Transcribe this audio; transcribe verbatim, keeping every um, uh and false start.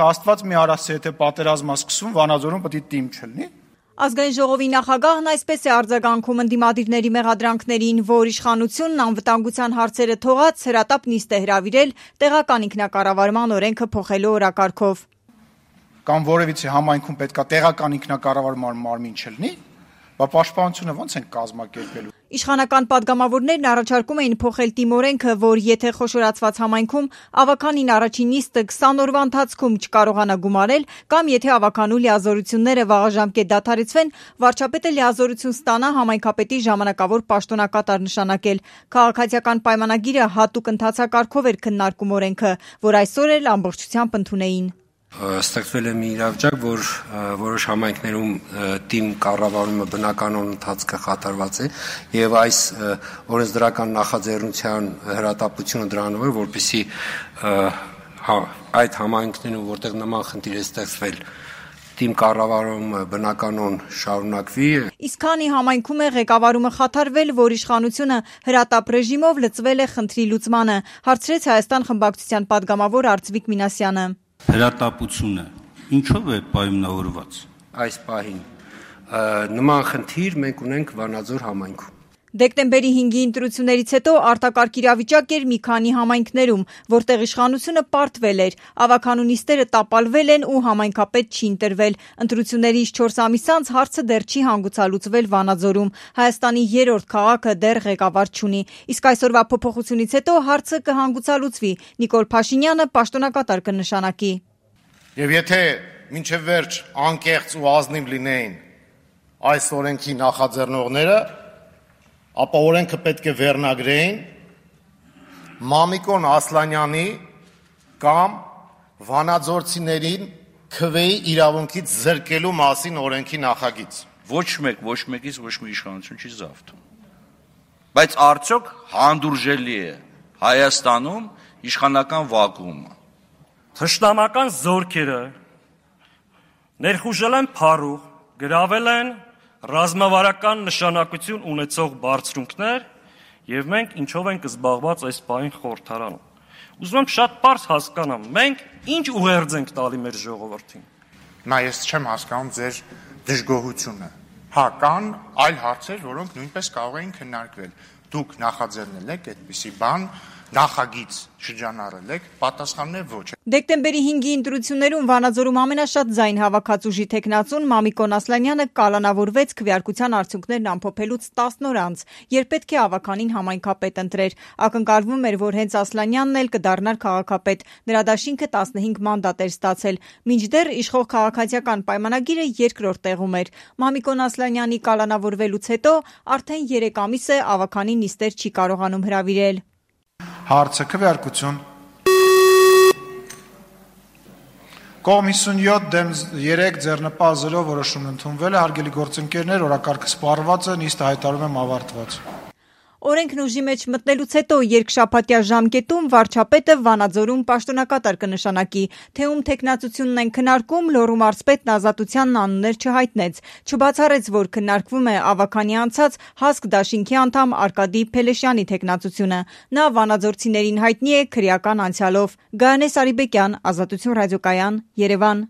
Աստված մի արասի, եթե պատերազմա սկսում, Վանաձորում պետք է տիմ չլինի։ Ազգային ժողովի նախագահն այսպես է արձագանքում ընդդիմադիրների մեղադրանքներին, որ իշխանությունն անվտանգության հարցերը թողած հրատապ նիստ է հրավիրել տեղական ինքնակառավարման օրենքը փոխելու օրակարգով։ Կամ որևիցե համայնքում պետք է տեղական ինքնակառավարման մարմին չլինի, բա պաշտպանությունը ո՞նց են կազմակերպելու։ Իշխանական падգամավորներն առաջարկում էին փոխել տիմօրենքը, որ եթե խոշորացված համայնքում ավականին առաջին նիստը քսան օրվա ընթացքում չկարողանա գումարել, կամ եթե ավականու լիազորությունները վաղաժամկետ դադարեցվեն, վարչապետը լիազորություն ստանա համայնքապետի ժամանակավոր պաշտոնակատար նշանակել։ Քաղաքացիական պայմանագիրը հատուկ ընթացակարգով էր քննարկում օրենքը, որ այսօր էլ ամբողջությամբ ընդունեին։ Ստեղծվել է մի իրավիճակ, որ որոշ համայնքներում տիմ կառավարումը բնականon ընթացքը խաթարված է եւ այս օրենսդրական նախաձեռնության հրատապությունը դրանով է, որպեսզի այդ համայնքներում, որտեղ նման խնդիր է ստեղծվել, տիմ կառավարումը բնականon շարունակվի։ Իսկ քանի համայնքում է ղեկավարումը խաթարվել, որ իշխանությունը հրատապ ռեժիմով լծվել է խնդրի լուծմանը, հարցրեց Հայաստան խմբակցության падգամավոր Արծվիկ Մինասյանը։ Հրատապությունը ինչով է պայմանավորված։ Այս պահին նման խնդիր մենք ունենք Վանաձոր համայնքում։ Դեկտեմբերի հինգի ընտրություններից հետո արտակարգ իրավիճակ էր մի քանի համայնքներում, որտեղ իշխանությունը պարտվել էր, ավականու նիստերը տապալվել են ու համայնքապետ չի ընտրվել։ Ընտրություններից չորս ամիս անց հարցը դեռ չի հանգուցալուծվել Վանաձորում։ Հայաստանի երրորդ քաղաքը դեռ ղեկավար չունի։ Իսկ այսօրվա փոփոխությունից հետո հարցը կհանգուցալուծվի։ Նիկոլ Փաշինյանը պաշտոնակատար կնշանակի։ Եվ եթե մինչև վերջ անկեղծ ու ազնիվ լինեին այս օրենքի նախաձեռնողները, ապա օրենքը պետք է վերնագրեին Մամիկոն Ասլանյանի կամ վանաձորցիներին քվեի իրավունքից զրկելու մասին օրենքի նախագիծ։ Ոչ մեկ, ոչ մեկից ոչ մի իշխանություն չի զավթում։ Բայց արդյոք հանդուրժելի է Հայաստանում իշխանական վակուումը։ Թշնամական զորքերը ներխուժել են փառուղ, գրավել են ռազմավարական նշանակություն ունեցող բարձրունքներ եւ մենք ինչով ենք զբաղված այս պահին խորհրդարանում։ Ուզում եմ շատ պարզ հասկանամ, մենք ինչ ուղերձ ենք տալի մեր ժողովրդին։ Նա ես չեմ հասկանում ձեր դժգոհությունը։ Հա, կան այլ հարցեր, որոնք նույնպես կարող էին քննարկվել։ Դուք նախաձեռնել եք այդպիսի բան, նախագիծ շրջանառել եք, պատասխանն է ոչ։ Դեկտեմբերի հինգի ընտրություններում Վանաձորում ամենաշատ ձայն հավաքած ուժի տեխնացուն Մամիկոն Ասլանյանը կալանավորվեց քվեարկության արդյունքներն ամփոփելուց տասն օր անց, երբ պետք է ավականին համայնքապետ ընտրեր։ Ակնկալվում էր, որ հենց Ասլանյանն էլ կդառնար քաղաքապետ։ Նրա դաշինքը տասնհինգ մանդատ էր ստացել։ Մինչդեռ իշխող քաղաքացիական պայմանագիրը երկրորդ տեղում էր։ Մամիկոն Ասլանյանի կալանավորվելուց հետո արդեն երեք ամիս է ավականին նիստեր չի կարողանում հրավիրել։ Հարցը քվեարկություն։ Կողմ հիսունյոթ դեմ երեք ձեռնպահ զրո որոշումն ընդունվել է, հարգելի գործընկերներ, օրակարգը սպառված է, նիստը հայտարարում եմ ավարտված։ Օրենքն ուժի մեջ մտնելուց հետո երկշաբաթյա ժամկետում վարչապետը Վանաձորում պաշտոնակատար կնշանակի, թե ում թեկնածությունն են քննարկում, Լոռու մարզպետն Ազատությանն անուններ չհայտնեց, չբացառեց, որ քննարկվում է ավականի անցած Հասկ դաշինքի անդամ Արկադի Փելեշյանի թեկնածությունը։ Նա վանաձորցիներին հայտնի է քրեական անցյալով։ Գայանե Սարիբեկյան, Ազատություն ռադիոկայան, Երևան։